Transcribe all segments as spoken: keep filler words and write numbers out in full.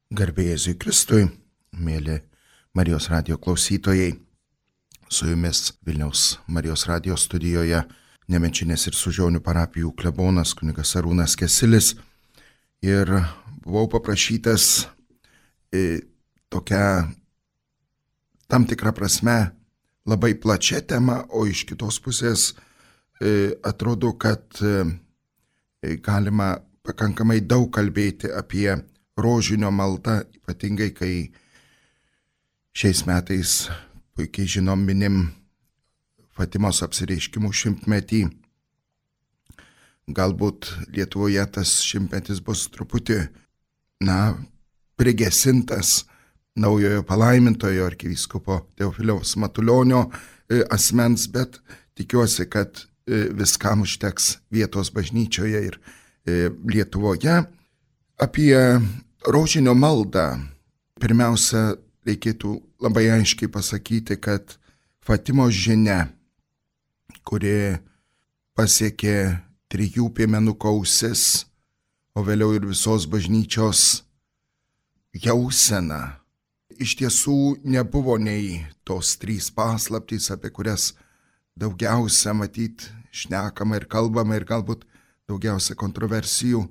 Garbė Jėzui Kristui, mėly Marijos radijo klausytojai, su jumis Vilniaus Marijos radijo studijoje Nemenčinės ir Sužionių parapijų klebonas kunigas Arūnas Kesilis. Ir buvau paprašytas e, tokia tam tikra prasme labai plačia tema, o iš kitos pusės e, atrodo, kad e, galima pakankamai daug kalbėti apie rožinio maldą, ypatingai kai šiais metais puikiai žinom minim Fatimos apsireiškimų šimtmetį. Galbūt Lietuvoje tas šimtmetis bus truputį, na, prigesintas naujojo palaimintojo arkivyskupo Teofiliaus Matulionio asmens, bet tikiuosi, kad viskam užteks vietos bažnyčioje ir Lietuvoje. Apie rožinio maldą pirmiausia reikėtų labai aiškiai pasakyti, kad Fatimos žinia, kuri pasiekė trijų piemenukų ausis, o vėliau ir visos bažnyčios jausena, iš tiesų nebuvo nei tos trys paslaptys, apie kurias daugiausia matyt šnekama ir kalbama ir galbūt daugiausia kontroversijų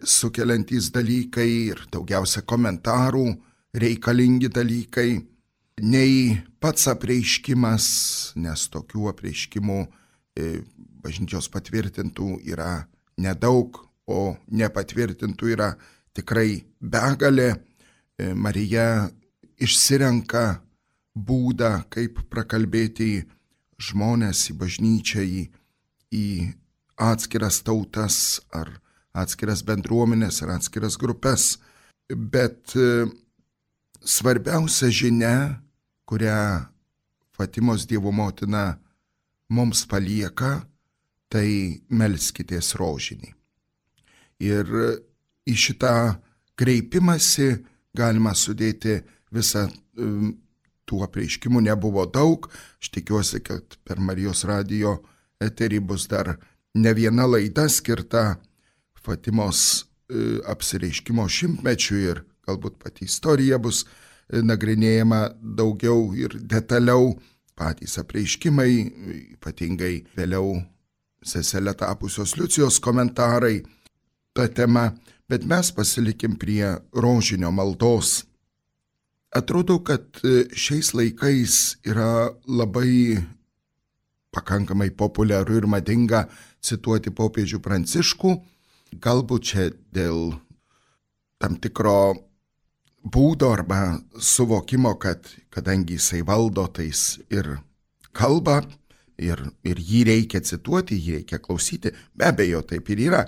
sukeliantys dalykai ir daugiausia komentarų reikalingi dalykai, nei pats apreiškimas, nes tokių apreiškimų bažnyčios patvirtintų yra nedaug, o nepatvirtintų yra tikrai begalė. Marija išsirenka būdą, kaip prakalbėti žmonės į bažnyčią, į, į atskiras tautas ar atskiras bendruomenės ar atskiras grupės. Bet svarbiausia žinia, kurią Fatimos Dievo motina mums palieka, tai melskitės rožinį. Ir į šitą kreipimąsi galima sudėti visą tų apreiškimų, nebuvo daug. Aš tikiuosi, kad per Marijos radijo eterį bus dar ne viena laida skirta Fatimos apsireiškimo šimtmečiui ir galbūt pati istorija bus nagrinėjama daugiau ir detaliau, patys apreiškimai, ypatingai vėliau seselė tapusios Liucijos komentarai tą temą, bet mes pasilikim prie rožinio maldos. Atrodo, kad šiais laikais yra labai pakankamai populiaru ir madinga cituoti popiežių Pranciškų, galbūt čia dėl tam tikro būdo arba suvokimo, kad kadangi jisai valdo, tai jis ir kalba, ir, ir jį reikia cituoti, jį reikia klausyti. Be abejo, taip ir yra.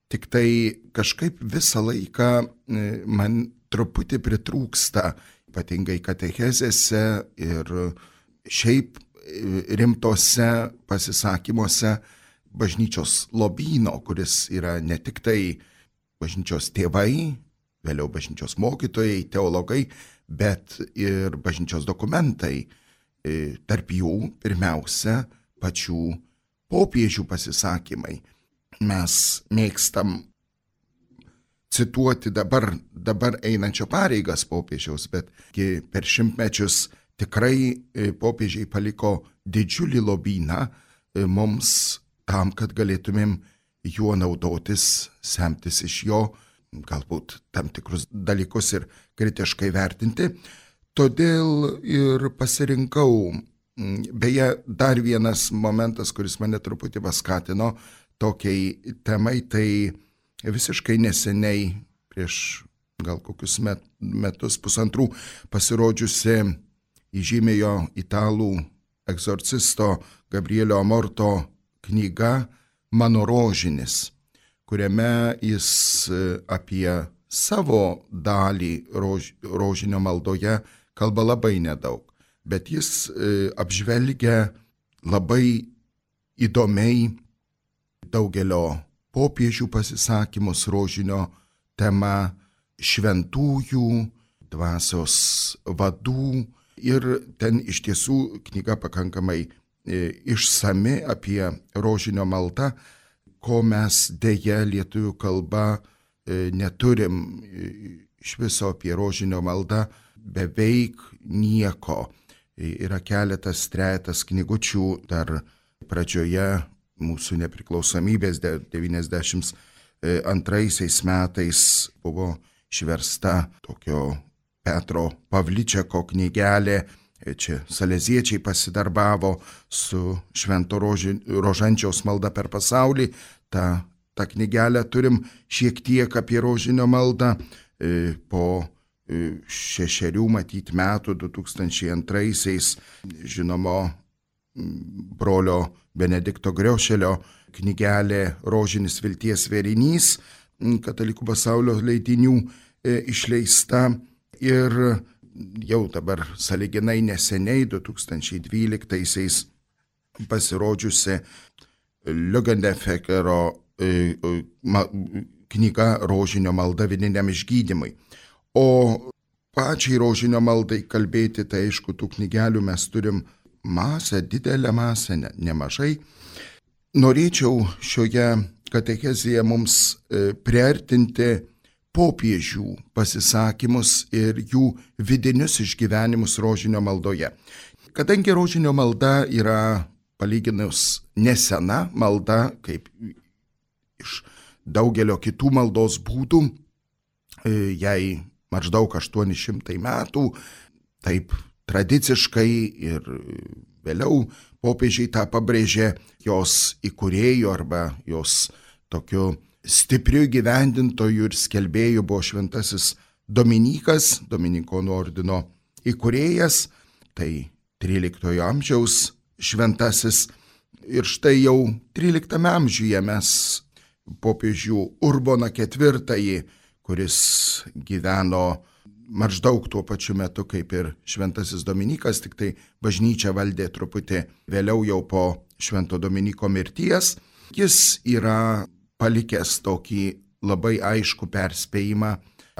Tik tai kažkaip visą laiką man truputį pritrūksta, ypatingai katechezėse ir šiaip rimtose pasisakymuose bažnyčios lobyno, kuris yra ne tik tai bažnyčios tėvai, vėliau bažnyčios mokytojai, teologai, bet ir bažnyčios dokumentai. Tarp jų pirmiausia pačių popiežių pasisakymai. Mes mėgstam cituoti dabar, dabar einančio pareigas popiežiaus, bet per šimtmečius tikrai popiežiai paliko didžiulį lobyną mums tam, kad galėtumėm juo naudotis, semtis iš jo, galbūt tam tikrus dalykus ir kritiškai vertinti. Todėl ir pasirinkau, beje, dar vienas momentas, kuris mane truputį paskatino tokiai temai, tai visiškai neseniai, prieš gal kokius met, metus, pusantrų, pasirodžiusi įžymėjo italų egzorcisto Gabrielio Amorto knyga Mano rožinis, kuriame jis apie savo dalį rož, rožinio maldoje kalba labai nedaug, bet jis apžvelgia labai įdomiai daugelio popiežių pasisakymus rožinio tema, šventųjų, dvasios vadų, ir ten iš tiesų knyga pakankamai išsami apie rožinio maldą, ko mes dėja lietuvių kalba neturim iš viso apie rožinio maldą beveik nieko. Yra keletas, trejetas knygučių dar pradžioje mūsų nepriklausomybės devyniasdešimt antraisiais metais buvo išversta tokio Petro Pavličeko knygelė. Čia saleziečiai pasidarbavo su Švento Roži, Rožančiaus malda per pasaulį. Ta, tą knygelę turim šiek tiek apie rožinio maldą. Po šešerių matyt metų, du tūkstančiai antraisiais, žinomo brolio Benedikto Griošelio knygelė Rožinis vilties vėrinys, Katalikų pasaulio leidinių išleista. Ir jau dabar sąlyginai neseniai, du tūkstančiai dvyliktaisiais, pasirodžiusi Lügendeckero knyga Rožinio malda vidiniam išgydymui. O pačiai rožinio maldai kalbėti, tai aišku, tų knygelių mes turim masę, didelę masę, ne, nemažai. Norėčiau šioje katechezėje mums priartinti popiežių pasisakymus ir jų vidinius išgyvenimus rožinio maldoje. Kadangi rožinio malda yra palyginus nesena malda, kaip iš daugelio kitų maldos būdų, jai maždaug aštuoni šimtai metų, taip tradiciškai ir vėliau popiežiai tą pabrėžė, jos įkūrėjų arba jos tokiu stipriu gyvendintojų ir skelbėjų buvo šventasis Dominikas, Dominikonų ordino įkūrėjas, tai tryliktojo amžiaus šventasis. Ir štai jau tryliktame amžiuje mes popiežių Urboną ketvirtąjį, kuris gyveno maždaug tuo pačiu metu kaip ir šventasis Dominikas, tik tai bažnyčia valdė truputį vėliau jau po švento Dominiko mirties. Jis yra palikęs tokį labai aiškų perspėjimą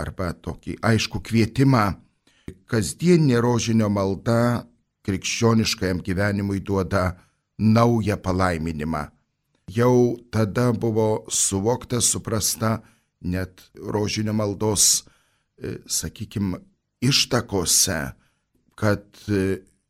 arba tokį aiškų kvietimą. Kasdieninė rožinio malda krikščioniškajam gyvenimui duoda naują palaiminimą. Jau tada buvo suvokta, suprasta net rožinio maldos, sakykime, ištakose, kad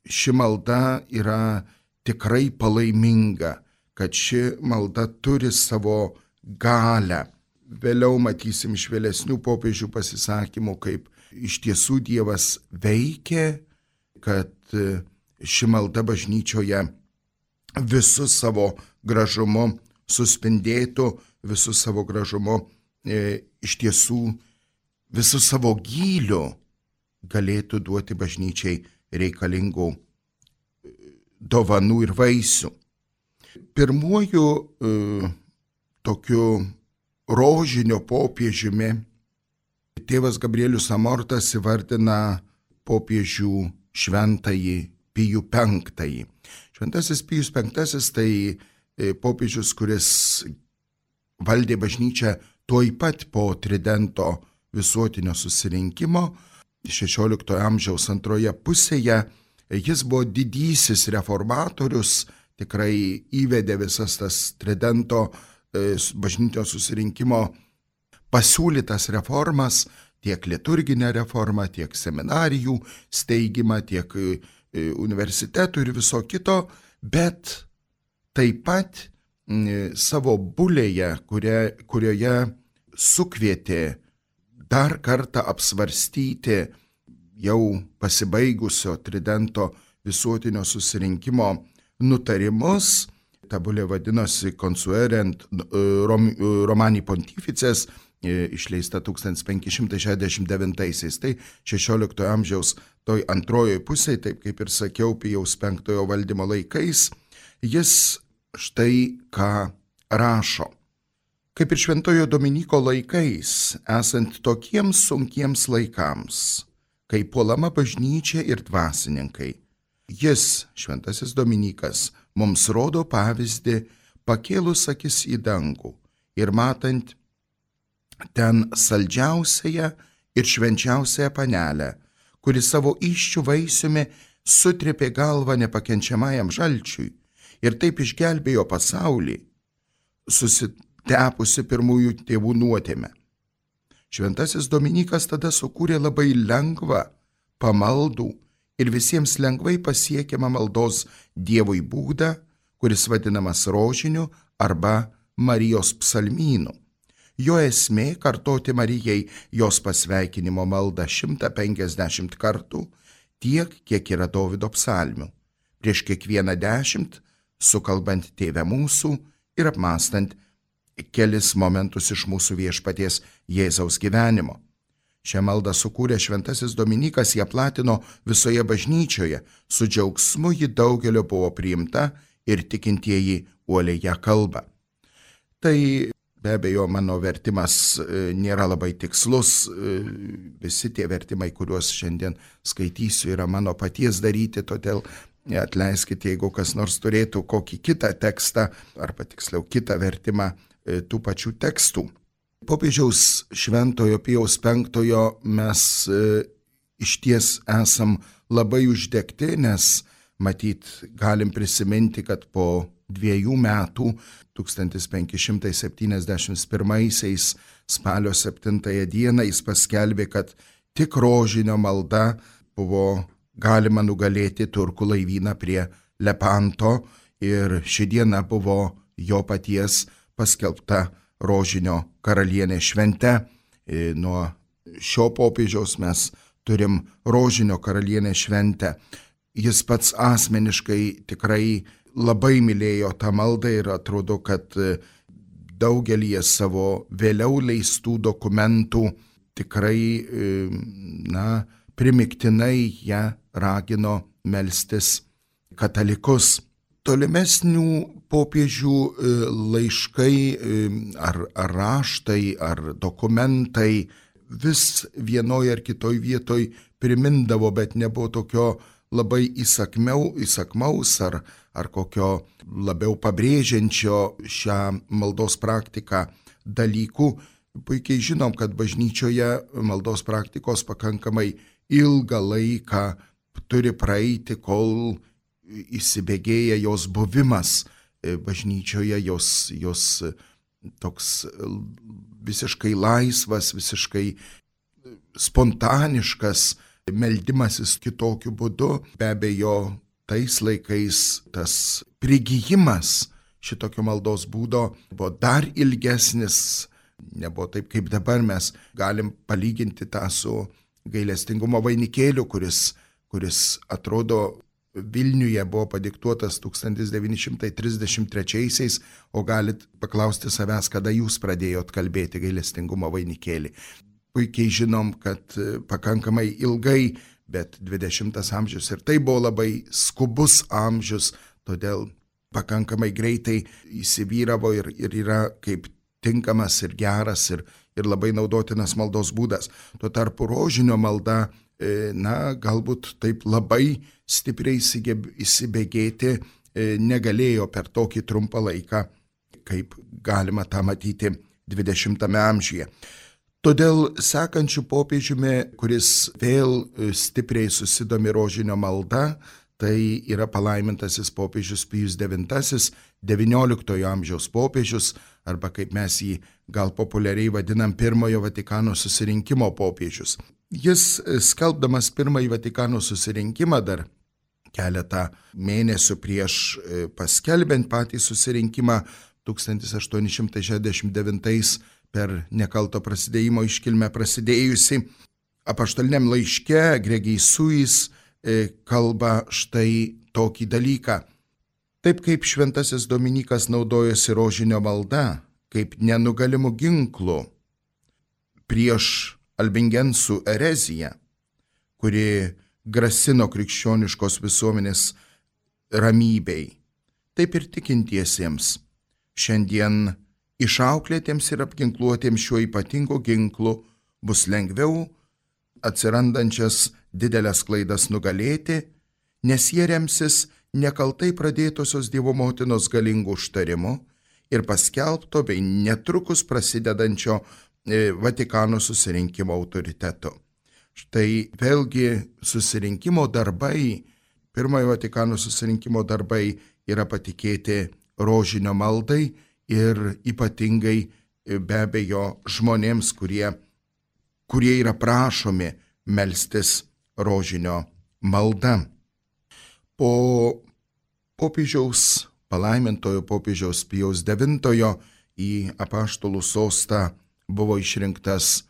ši malda yra tikrai palaiminga, kad ši malda turi savo galią. Vėliau matysim iš vėlesnių popiežių pasisakymų, kaip iš tiesų Dievas veikia, kad ši malda bažnyčioje visu savo gražumu suspindėtų, visu savo gražumu e, iš tiesų visu savo gyliu galėtų duoti bažnyčiai reikalingų dovanų ir vaisių. Pirmuoju e, tokiu rožinio popiežiumi tėvas Gabrielius Amortas įvardina popiežių šventąjį Pijų penktąjį. Šventasis Pijus penktasis tai popiežius, kuris valdė bažnyčią tuoj pat po Tridento visuotinio susirinkimo šešioliktojo amžiaus antroje pusėje. Jis buvo didysis reformatorius, tikrai įvedė visas tas Tridento bažnytinio susirinkimo pasiūlytas reformas, tiek liturginę reformą, tiek seminarijų steigimą, tiek universitetų ir viso kito, bet taip pat savo bulėje, kuria, kurioje sukvietė dar kartą apsvarstyti jau pasibaigusio Tridento visuotinio susirinkimo nutarimus. Ta bulė vadinosi Consuerent Romani Pontifices, išleista tūkstantis penki šimtai šešiasdešimt devintaisiais. Tai šešioliktojo amžiaus toj antrojoje pusėje, taip kaip ir sakiau, Pijaus penktojo valdymo laikais, jis štai ką rašo. Kaip ir šventojo Dominiko laikais, esant tokiems sunkiems laikams, kai puolama bažnyčia ir dvasininkai, jis, šventasis Dominikas, mums rodo pavyzdį, pakėlus akis į dangų ir matant ten saldžiausiąją ir švenčiausiąją panelę, kuri savo įsčių vaisiumi sutrėpė galvą nepakenčiamajam žalčiui ir taip išgelbėjo pasaulį, susitepusi pirmųjų tėvų nuodėmę. Šventasis Dominykas tada sukūrė labai lengvą, pamaldų ir visiems lengvai pasiekiamą maldos Dievui būdą, kuris vadinamas rožiniu arba Marijos psalmynu. Jo esmė - kartoti Marijai jos pasveikinimo maldą šimtą penkiasdešimt kartų, tiek, kiek yra Dovydo psalmių, prieš kiekvieną dešimt, sukalbant Tėve mūsų ir apmąstant kelis momentus iš mūsų Viešpaties Jėzaus gyvenimo. Šią maldą sukūrė Šventasis Dominykas, ją platino visoje bažnyčioje, su džiaugsmu ji daugelio buvo priimta ir tikintieji uoliai ją kalba. Tai be abejo mano vertimas nėra labai tikslus, visi tie vertimai, kuriuos šiandien skaitysiu, yra mano paties daryti, todėl atleiskite, jeigu kas nors turėtų kokį kitą tekstą, arba tiksliau kitą vertimą tų pačių tekstų. Popiežiaus Šventojo Pijaus penktojo mes e, išties esam labai uždegti, nes matyt galim prisiminti, kad po dviejų metų, tūkstantis penki šimtai septyniasdešimt pirmaisiais spalio septintąją dieną jis paskelbė, kad tik rožinio malda buvo galima nugalėti turkų laivyną prie Lepanto ir ši diena buvo jo paties paskelbta rožinio karalienė švente. Nuo šio popiežiaus mes turim rožinio karalienė šventę. Jis pats asmeniškai tikrai labai mylėjo tą maldą ir atrodo, kad daugelį savo vėliau leistų dokumentų tikrai, na, primiktinai ją ragino melstis katalikus. Tolimesnių popiežių laiškai ar, ar raštai, ar dokumentai vis vienoje ar kitoje vietoje primindavo, bet nebuvo tokio labai įsakmiau, įsakmaus ar, ar kokio labiau pabrėžiančio šią maldos praktiką dalykų. Puikiai žinom, kad bažnyčioje maldos praktikos pakankamai ilgą laiką turi praeiti, kol įsibėgėja jos buvimas bažnyčioje, jos, jos toks visiškai laisvas, visiškai spontaniškas meldimasis kitokiu būdu. Be abejo, tais laikais tas prigijimas šitokio maldos būdo buvo dar ilgesnis, nebuvo taip kaip dabar. Mes galim palyginti tą su gailestingumo vainikėliu, kuris, kuris atrodo Vilniuje buvo padiktuotas tūkstantis devyni šimtai trisdešimt trečiaisiais, o galit paklausti savęs, kada jūs pradėjot kalbėti gailestingumo vainikėlį. Puikiai žinom, kad pakankamai ilgai, bet dvidešimtas amžius ir tai buvo labai skubus amžius, todėl pakankamai greitai įsivyravo ir, ir yra kaip tinkamas ir geras ir, ir labai naudotinas maldos būdas. Tuo tarpu rožinio malda, na, galbūt taip labai stipriai įsibėgėti negalėjo per tokį trumpą laiką, kaip galima tą matyti dvidešimtame amžiuje. Todėl sekančių popiežiumi, kuris vėl stipriai susidomi rožinio malda, tai yra palaimintasis popiežius Pijus devintasis, devynioliktojo amžiaus popiežius, arba kaip mes jį gal populiariai vadinam, pirmojo Vatikano susirinkimo popiežius. Jis, skelbdamas pirmąjį Vatikano susirinkimą dar keletą mėnesių prieš paskelbiant patį susirinkimą, tūkstantis aštuoni šimtai šešiasdešimt devintais per nekalto prasidėjimo iškilmę prasidėjusi, apaštaliniam laiške Gregii Suis kalba štai tokį dalyką. Taip kaip Šventasis Dominykas naudojosi rožinio malda, kaip nenugalimų ginklų prieš albingensų ereziją, kuri grasino krikščioniškos visuomenės ramybei, taip ir tikintiesiems šiandien išauklėtiems ir apginkluotiems šiuo ypatingu ginklu bus lengviau atsirandančias didelės klaidas nugalėti, nes jie remsis nekaltai pradėtosios Dievo motinos galingų užtarimu ir paskelbto bei netrukus prasidedančio Vatikano susirinkimo autoritetu. Štai vėlgi susirinkimo darbai, pirmojo Vatikano susirinkimo darbai yra patikėti rožinio maldai ir ypatingai be abejo žmonėms, kurie kurie yra prašomi melstis rožinio malda. Po popiežiaus, palaimintojo popiežiaus Pijaus devintojo į apaštalų sostą buvo išrinktas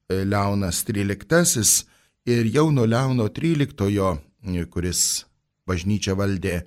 Leonas tryliktasis ir jau nuo Leono tryliktojo, kuris bažnyčią valdė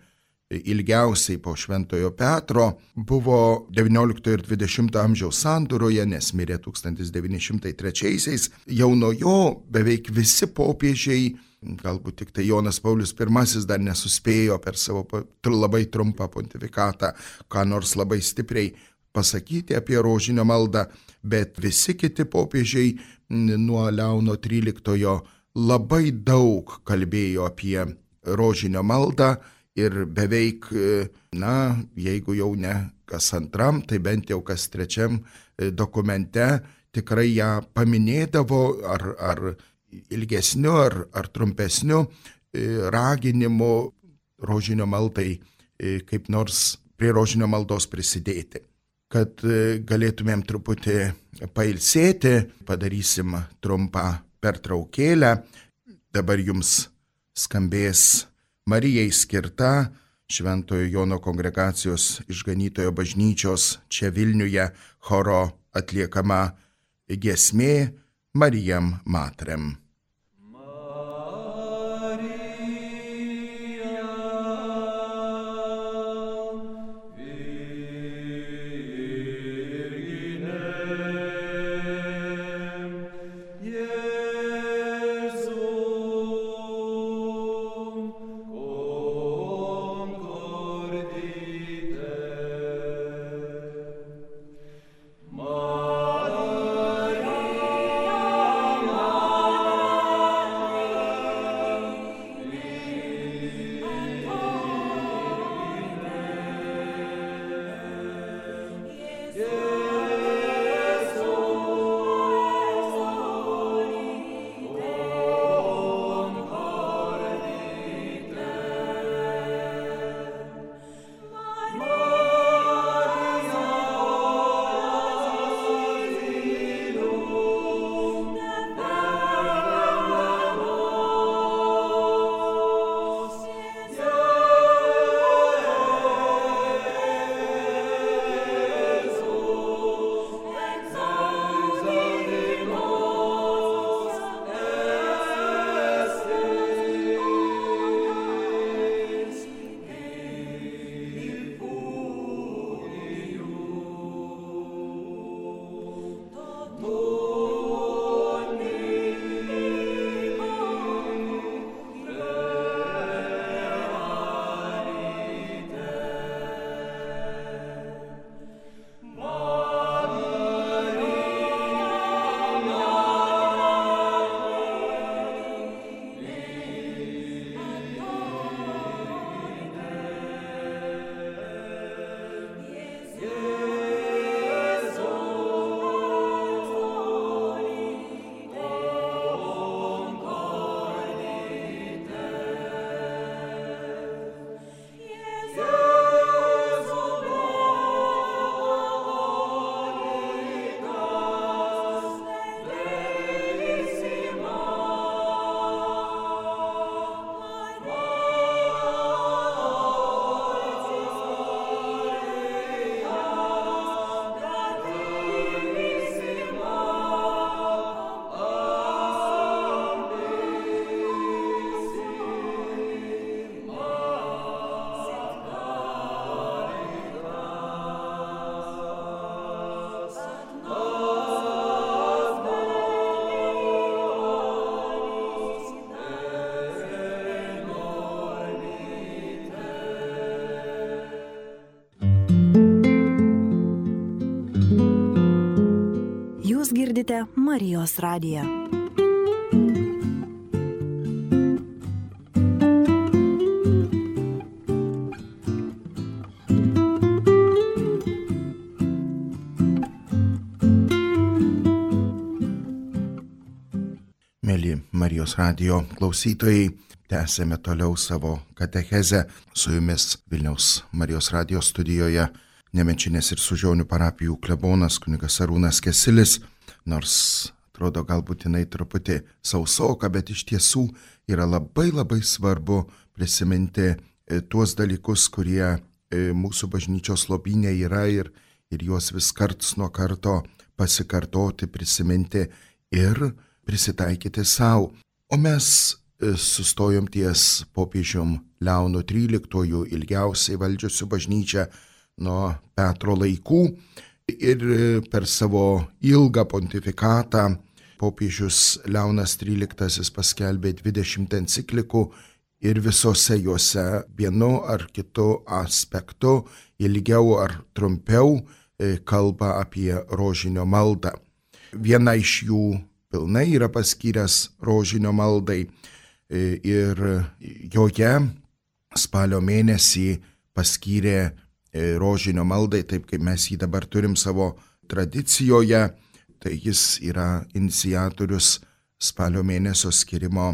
ilgiausiai po Šventojo Petro, buvo devynioliktojo ir dvidešimtojo amžiaus sandūroje, nes mirė tūkstantis devyni šimtai trečiaisiais. Jau nuo jo beveik visi popiežiai, galbūt tik tai Jonas Paulius pirmasis dar nesuspėjo per savo labai trumpą pontifikatą ką nors labai stipriai pasakyti apie rožinio maldą, bet visi kiti popiežiai nuo Leono tryliktojo labai daug kalbėjo apie rožinio maldą ir beveik, na, jeigu jau ne kas antram, tai bent jau kas trečiam dokumente tikrai ją paminėdavo ar, ar ilgesniu, ar, ar trumpesniu raginimu rožinio maldai kaip nors prie rožinio maldos prisidėti. Kad galėtumėm truputį pailsėti, padarysim trumpą pertraukėlę. Dabar jums skambės Marijai skirta Šventojo Jono kongregacijos Išganytojo bažnyčios čia Vilniuje choro atliekama giesmė Marijam Matrem. Girdite Marijos radiją. Mėly Marijos radijo klausytojai, tęsėme toliau savo katechezę. Su jumis Vilniaus Marijos radijo studijoje Nemenčinės ir Sužionių parapijų klebonas kunigas Arūnas Kesilis. Nors atrodo galbūt jinai truputį sausoka, bet iš tiesų yra labai labai svarbu prisiminti tuos dalykus, kurie mūsų bažnyčios lobyne yra ir, ir juos vis karts nuo karto pasikartoti, prisiminti ir prisitaikyti savo. O mes sustojom ties popiežium Leonu tryliktuoju, ilgiausiai valdžiusiu bažnyčią nuo Petro laikų, ir per savo ilgą pontifikatą popiežius Leonas tryliktasis paskelbė dvidešimt enciklikų ir visose juose vienu ar kitu aspektu, ilgiau ar trumpiau, kalba apie rožinio maldą. Viena iš jų pilnai yra paskyręs rožinio maldai ir joje spalio mėnesį paskyrė rožinio maldai, taip kaip mes jį dabar turim savo tradicijoje, tai jis yra iniciatorius spalio mėnesio skirimo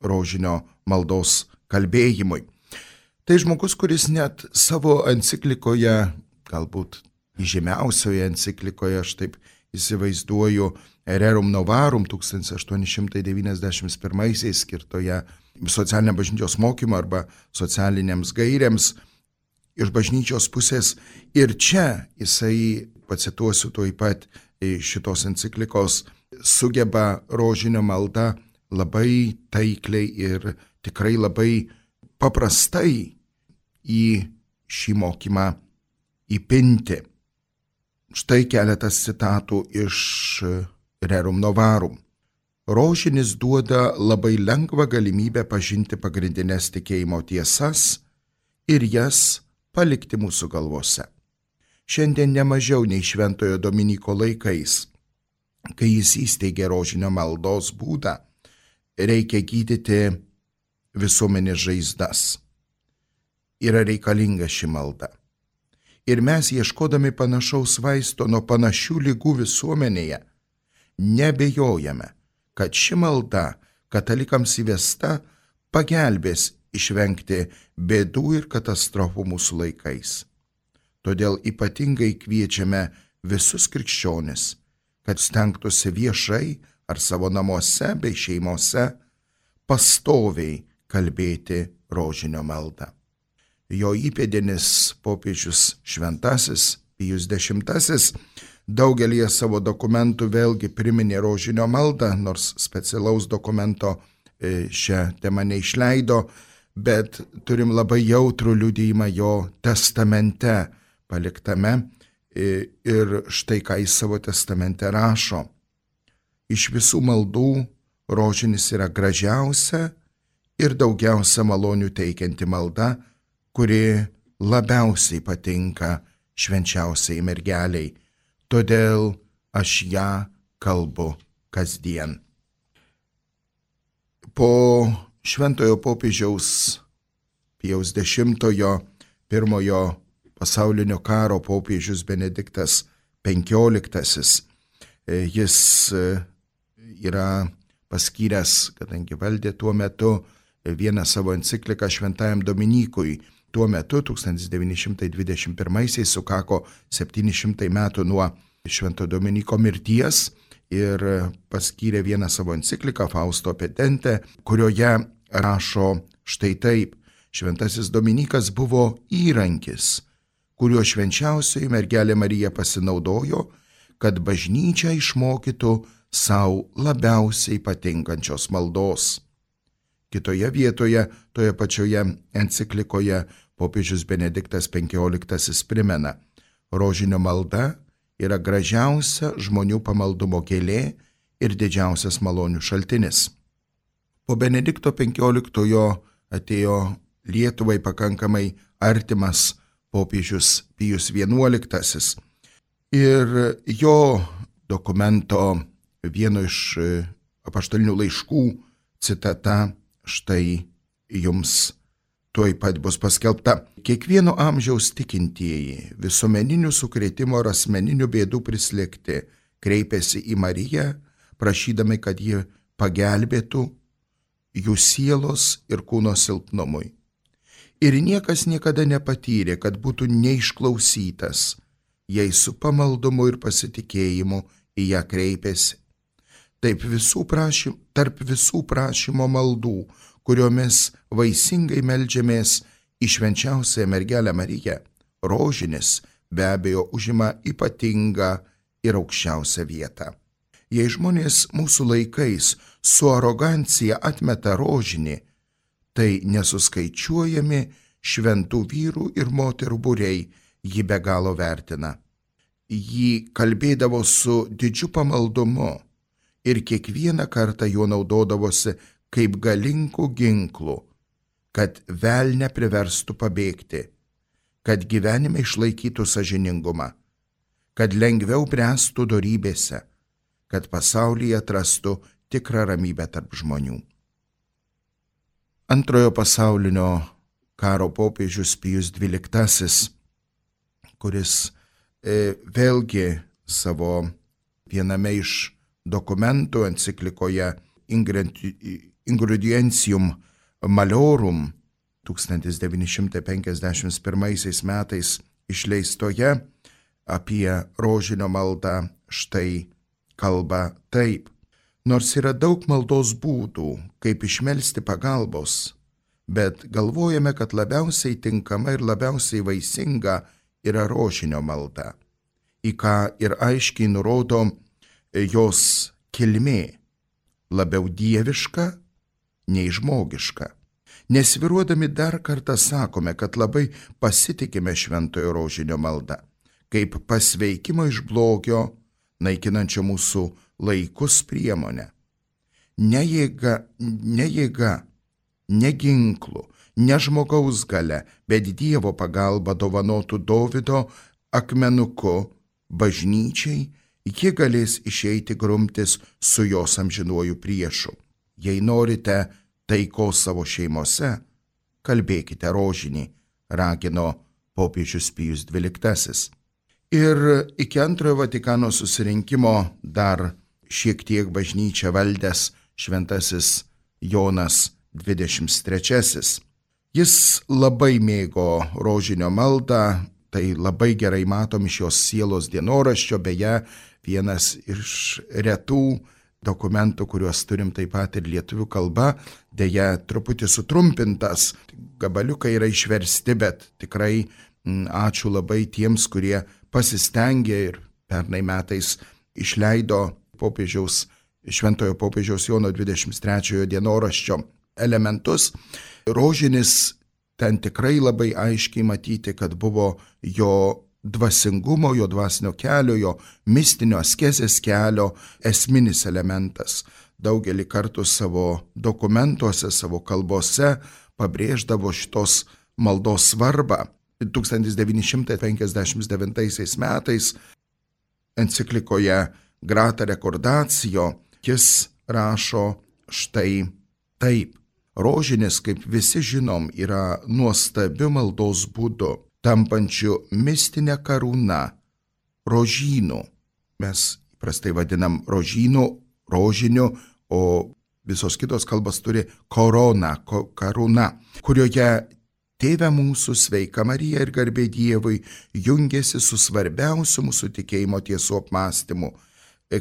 rožinio maldos kalbėjimui. Tai žmogus, kuris net savo enciklikoje, galbūt įžymiausioje enciklikoje, aš taip įsivaizduoju, Rerum Novarum tūkstantis aštuoni šimtai devyniasdešimt pirmaisiais skirtoje socialinio bažnyčios mokymo arba socialinėms gairėms iš bažnyčios pusės. Ir čia jisai, pacituosiu tuoj pat šitos enciklikos, sugeba rožinio maldą labai taikliai ir tikrai labai paprastai į šį mokymą įpinti. Štai keletas citatų iš Rerum Novarum. Rožinis duoda labai lengvą galimybę pažinti pagrindinės tikėjimo tiesas ir jas palikti mūsų galvose. Šiandien nemažiau nei Šventojo Dominyko laikais, kai jis įsteigė rožinio maldos būdą, reikia gydyti visuomenės žaizdas. Yra reikalinga ši malda. Ir mes, ieškodami panašaus vaisto nuo panašių ligų visuomenėje, nebejojame, kad ši malda katalikams įvesta pagelbės išvengti bėdų ir katastrofų mūsų laikais. Todėl ypatingai kviečiame visus krikščionis, kad stengtųsi viešai ar savo namuose bei šeimose pastoviai kalbėti rožinio maldą. Jo įpėdinis popiežius šventasis Pijus dešimtasis daugelį savo dokumentų vėlgi priminė rožinio maldą, nors specialaus dokumento šią temą neišleido, bet turim labai jautrų liudijimą jo testamente paliktame ir štai ką jis savo testamente rašo. Iš visų maldų rožinis yra gražiausia ir daugiausia malonių teikianti malda, kuri labiausiai patinka švenčiausiai mergeliai. Todėl aš ją kalbu kasdien. Po šventojo popiežiaus Pijaus dešimtojo pirmojo pasaulinio karo popiežius Benediktas penkioliktasis. Jis yra paskyręs, kadangi valdė tuo metu, vieną savo encikliką Šventajam Dominykui. Tuo metu tūkstantis devyni šimtai dvidešimt pirmaisiais sukako septyni šimtai metų nuo Švento Dominyko mirties ir paskyrė vieną savo encikliką Fausto Petente, kurioje rašo štai taip: Šventasis Dominykas buvo įrankis, kuriuo švenčiausioji mergelė Marija pasinaudojo, kad bažnyčia išmokytų savo labiausiai patinkančios maldos. Kitoje vietoje, toje pačioje enciklikoje, popiežius Benediktas penkioliktasis primena: rožinio malda yra gražiausia žmonių pamaldumo gėlė ir didžiausias malonių šaltinis. Po Benedikto penkioliktojo atėjo Lietuvai pakankamai artimas popiežius Pijus vienuoliktasis ir jo dokumento vieno iš apaštalinių laiškų citata štai jums tuoj pat bus paskelbta. Kiekvieno amžiaus tikintieji, visuomeninių sukrėtimo ar asmeninių bėdų prislėgti, kreipėsi į Mariją, prašydami, kad ji pagelbėtų jų sielos ir kūno silpnumui. Ir niekas niekada nepatyrė, kad būtų neišklausytas, jei su pamaldumu ir pasitikėjimu į ją kreipėsi. Taip visų prašym, tarp visų prašymo maldų, kuriomis vaisingai meldžiamės į švenčiausiąją mergelę Mariją, rožinis be abejo užima ypatingą ir aukščiausią vietą. Jei žmonės mūsų laikais su arogancija atmeta rožinį, tai nesuskaičiuojami šventų vyrų ir moterų būriai jį be galo vertina. Jį kalbėdavo su didžiu pamaldumu ir kiekvieną kartą juo naudodavosi kaip galingų ginklų, kad velnę priverstų pabėgti, kad gyvenime išlaikytų sąžiningumą, kad lengviau bręstų dorybėse, kad pasaulyje atrastų tikrą ramybę tarp žmonių. Antrojo pasaulinio karo popiežius Pijus dvyliktasis, kuris e, vėlgi savo viename iš dokumentų enciklikoje Ingredientium Maliorum tūkstantis devyni šimtai penkiasdešimt pirmaisiais metais išleistoje apie rožinio maldą štai kalba taip. Nors yra daug maldos būdų, kaip išmelsti pagalbos, bet galvojame, kad labiausiai tinkama ir labiausiai vaisinga yra rožinio malda, į ką ir aiškiai nurodo jos kilmė, labiau dieviška nei žmogiška. Nesviruodami dar kartą sakome, kad labai pasitikime šventojo rožinio maldą, kaip pasveikimo iš blogio, naikinančio mūsų laikus priemonę. Ne jėga, ne jėga, ne ginklų, ne žmogaus galia, bet Dievo pagalba dovanotų Dovydo akmenuku bažnyčiai, ji galės išeiti grumtis su jos amžinuoju priešu. Jei norite taikos savo šeimose, kalbėkite rožinį, ragino popiežius Pijus dvyliktasis. Ir iki antrojo Vatikano susirinkimo dar šiek tiek bažnyčią valdęs šventasis Jonas dvidešimt trečiasis. Jis labai mėgo rožinio maldą, tai labai gerai matom iš jos sielos dienoraščio, beje, vienas iš retų dokumentų, kuriuos turim taip pat ir lietuvių kalba, deja truputį sutrumpintas, gabaliukai yra išversti, bet tikrai m, ačiū labai tiems, kurie pasistengė ir pernai metais išleido popiežiaus, šventojo popiežiaus Jono dvidešimt trečiojo dienoraščio elementus. Rožinis ten tikrai labai aiškiai matyti, kad buvo jo dvasingumo, jo dvasinio kelio, jo mistinio askezės kelio esminis elementas. Daugelį kartų savo dokumentuose, savo kalbose pabrėždavo šitos maldos svarbą. tūkstantis devyni šimtai penkiasdešimt devintaisiais metais enciklikoje Grata Recordatio jis rašo štai taip. Rožinis, kaip visi žinom, yra nuostabiu maldos būdu, tampančiu mistinę karūną, rožynu. Mes prastai vadinam rožynu, rožiniu, o visos kitos kalbos turi korona, ko, karūna, kurioje Tėve mūsų, sveika Marija ir garbė Dievui jungiasi su svarbiausiu mūsų tikėjimo tiesų apmąstymu,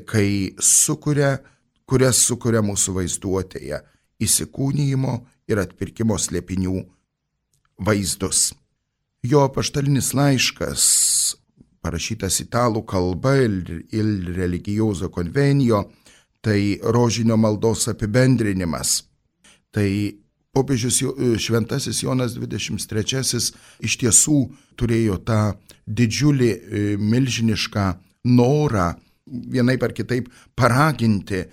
kai sukuria, kurias sukuria mūsų vaizduotėje, įsikūnijimo ir atpirkimo slėpinių vaizdus. Jo apaštalinis laiškas, parašytas italų kalba ir Il Religioso Convenio, tai rožinio maldos apibendrinimas. Tai popiežius šventasis Jonas dvidešimt trečiasis iš tiesų turėjo tą didžiulį, milžinišką norą vienaip ar kitaip paraginti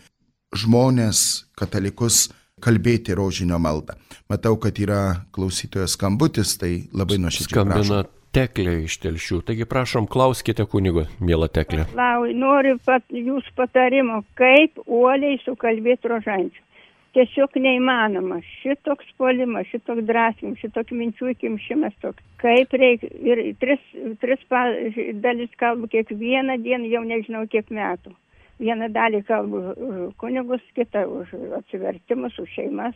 žmonės, katalikus, kalbėti rožinio maldą. Matau, kad yra klausytojas skambutis, tai labai nuoširdžiai prašom. Skambina Teklė iš Telšių. Taigi prašom, klauskite kunigo, miela Teklė. Lau, noriu pat, jūs patarimo, kaip uoliai sukalbėti rožančių. Tiesiog neįmanoma. Šitoks puolimas, šitoks drąsimas, šitoks minčių įkimšimas toks. Kaip reikia. Ir tris, tris dalis kalbu kiekvieną dieną, jau nežinau kiek metų. Vieną dalį kalbu už kunigus, kitą už atsivertimus, už šeimas,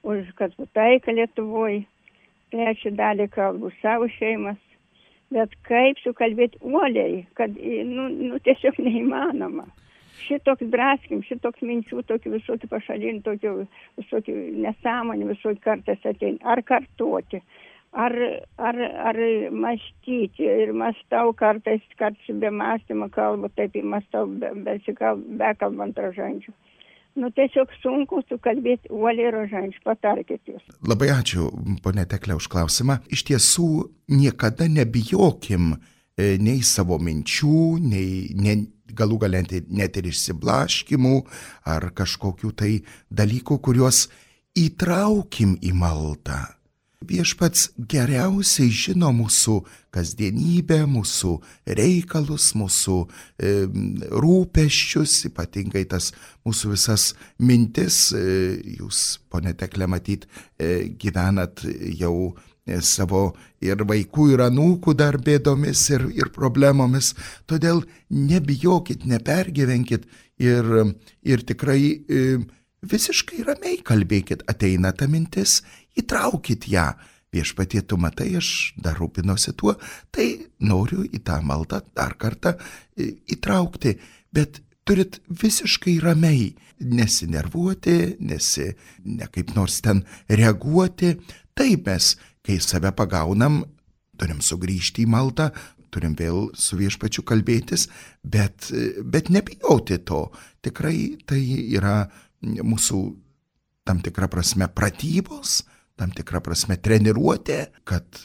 už kad taiką Lietuvoje. Trečią dalį kalbu savo šeimas. Bet kaip sukalbėti uoliai, kad nu, nu, tiesiog neįmanoma. šitoks draskim, šitoks minčių, tokių visokių pašalinių, tokių visokių nesąmonių visokių kartais ateina. Ar kartuoti, ar, ar, ar mąstyti. Ir mąstau kartais, kartais be mąstymo kalbu, taip ir mąstau, be, bekalbant rožančių. Nu, tiesiog sunku sukalbėti uoliai rožančių, patarkit jūs. Labai ačiū, ponė Teklė, už klausimą. Iš tiesų, niekada nebijokim nei savo minčių, nei, nei galų galenti net ir išsiblaškimų ar kažkokių tai dalykų, kuriuos įtraukim į maldą. Viešpats geriausiai žino mūsų kasdienybę, mūsų reikalus, mūsų e, rūpesčius, ypatingai tas mūsų visas mintis. E, jūs, ponė Teklė, matyt, e, gyvenat jau savo ir vaikų, ir anūkų dar bėdomis ir, ir problemomis. Todėl nebijokit, nepergyvenkit ir, ir tikrai e, visiškai ramiai kalbėkit. Ateina ta mintis, įtraukit ją. Viešpatie, tu matai, aš dar rūpinosi tuo, tai noriu į tą maldą dar kartą e, įtraukti. Bet turit visiškai ramiai nesinervuoti, nesi, ne kaip nors ten reaguoti. Taip mes, kai save pagaunam, turim sugrįžti į maldą, turim vėl su viešpačiu kalbėtis, bet, bet nebijoti to. Tikrai tai yra mūsų tam tikra prasme pratybos, tam tikra prasme treniruotė, kad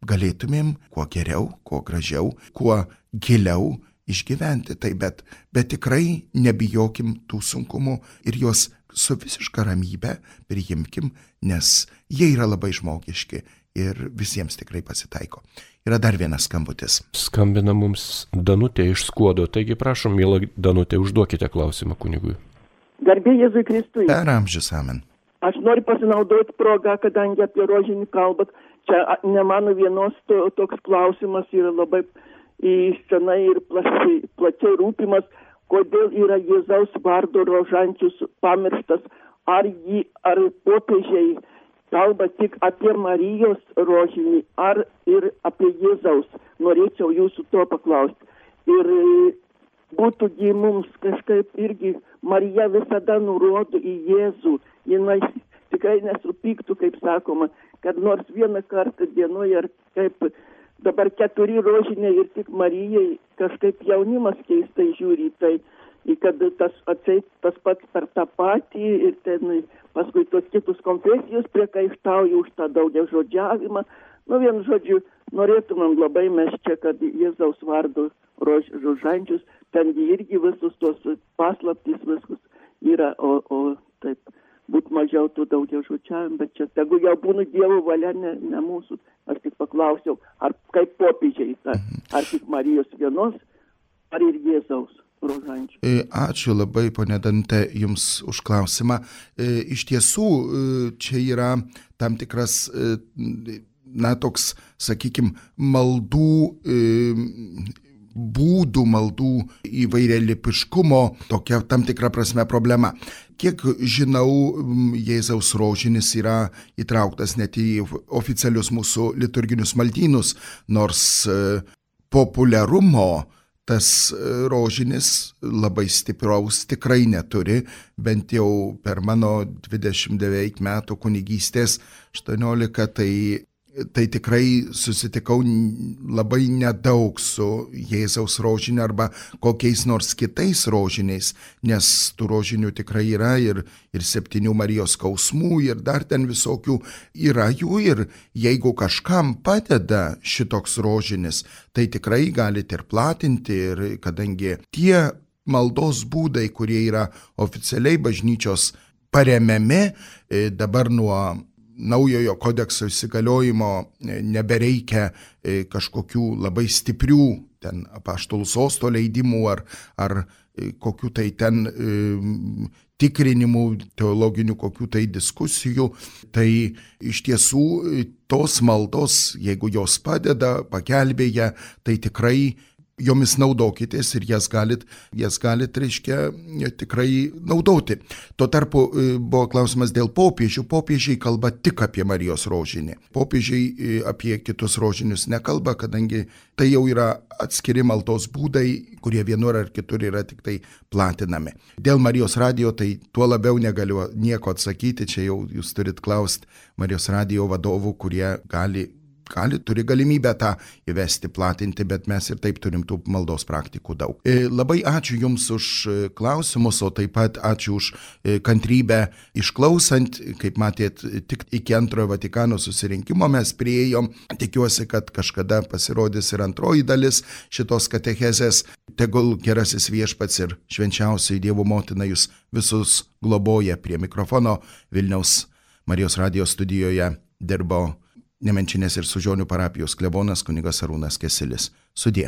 galėtumėm kuo geriau, kuo gražiau, kuo giliau išgyventi. Tai bet, bet tikrai nebijokim tų sunkumų ir juos su visiška ramybe priimkim, nes jie yra labai žmogiški ir visiems tikrai pasitaiko. Yra dar vienas skambutis. Skambina mums Danutė iš Skuodo, taigi prašom, miela Danutė, užduokite klausimą kunigui. Garbė Jėzui Kristui. Per amžius, amen. Aš noriu pasinaudoti progą, kadangi apie rožinį kalbat. Čia ne mano vienos to, toks klausimas yra labai senai ir plačiai, plačiai rūpimas, kodėl yra Jėzaus vardo rožančius pamirštas, ar jį, ar popiežiai kalba tik apie Marijos rožinį, ar ir apie Jėzaus. Norėčiau jūsų to paklausti. Ir būtų gi mums kažkaip irgi, Marija visada nurodo į Jėzų, jinai tikrai nesupyktų, kaip sakoma, kad nors vieną kartą dienoje, ar kaip dabar keturi rožiniai ir tik Marijai, kažkaip jaunimas keistai žiūri, tai kad tas atseit tas pats per tą patį ir ten paskui tos kitus konfesijos priekaištauja už tą daugiažodžiavimą. Nu, vien žodžiu, norėtumėm labai mes čia, kad Jėzaus vardo rož, rožančius, ten irgi visus tos paslaptys viskus yra, o, o taip būt mažiau tų daugiažodžiavimų, bet čia tegu jau būna Dievo valia, ne, ne mūsų. Aš tik paklausiau, ar kaip popiežiai, ar, ar tik Marijos vienos, ar ir Jėzaus rožančių. Ačiū labai, ponė Dante, jums už klausimą. Iš tiesų, čia yra tam tikras, na, toks, sakykime, maldų, būdų, maldų įvairialypiškumo, tokia tam tikra prasme problema. Kiek žinau, Jėzaus rožinis yra įtrauktas net į oficialius mūsų liturginius maldynus, nors populiarumo tas rožinis labai stipraus tikrai neturi, bent jau per mano dvidešimt devynių metų kunigystės aštuoniolika, tai, tai tikrai susitikau labai nedaug su Jėzaus rožiniu arba kokiais nors kitais rožiniais, nes tų rožinių tikrai yra ir, ir septynių Marijos skausmų ir dar ten visokių yra jų ir jeigu kažkam padeda šitoks rožinis, tai tikrai galite ir platinti ir kadangi tie maldos būdai, kurie yra oficialiai bažnyčios paremiami, dabar nuo naujojo kodekso įsigaliojimo nebereikia kažkokių labai stiprių ten apaštalų sosto leidimų ar, ar kokių tai ten e, tikrinimų, teologinių kokių tai diskusijų. Tai iš tiesų tos maldos, jeigu jos padeda, pagelbėja, tai tikrai jomis naudokitės ir jas galit, jas galit, reiškia, tikrai naudoti. Tuo tarpu buvo klausimas dėl popiežių. Popiežiai kalba tik apie Marijos rožinį. Popiežiai apie kitus rožinius nekalba, kadangi tai jau yra atskiri maldos būdai, kurie vienur ar kitur yra tik tai platinami. Dėl Marijos radijo tai tuo labiau negaliu nieko atsakyti, čia jau jūs turit klausti Marijos radijo vadovų, kurie gali gali, turi galimybę tą įvesti, platinti, bet mes ir taip turim tų maldos praktikų daug. Labai ačiū Jums už klausimus, o taip pat ačiū už kantrybę išklausant. Kaip matėt, tik iki antrojo Vatikano susirinkimo mes priėjom. Tikiuosi, kad kažkada pasirodys ir antroji dalis šitos katechezės. Tegul gerasis viešpats ir švenčiausiai Dievo motina Jūs visus globoja. Prie mikrofono Vilniaus Marijos radijo studijoje dirbo Nemenčinės ir Sužionių parapijos klebonas kunigas Arūnas Kesilis. Sudie.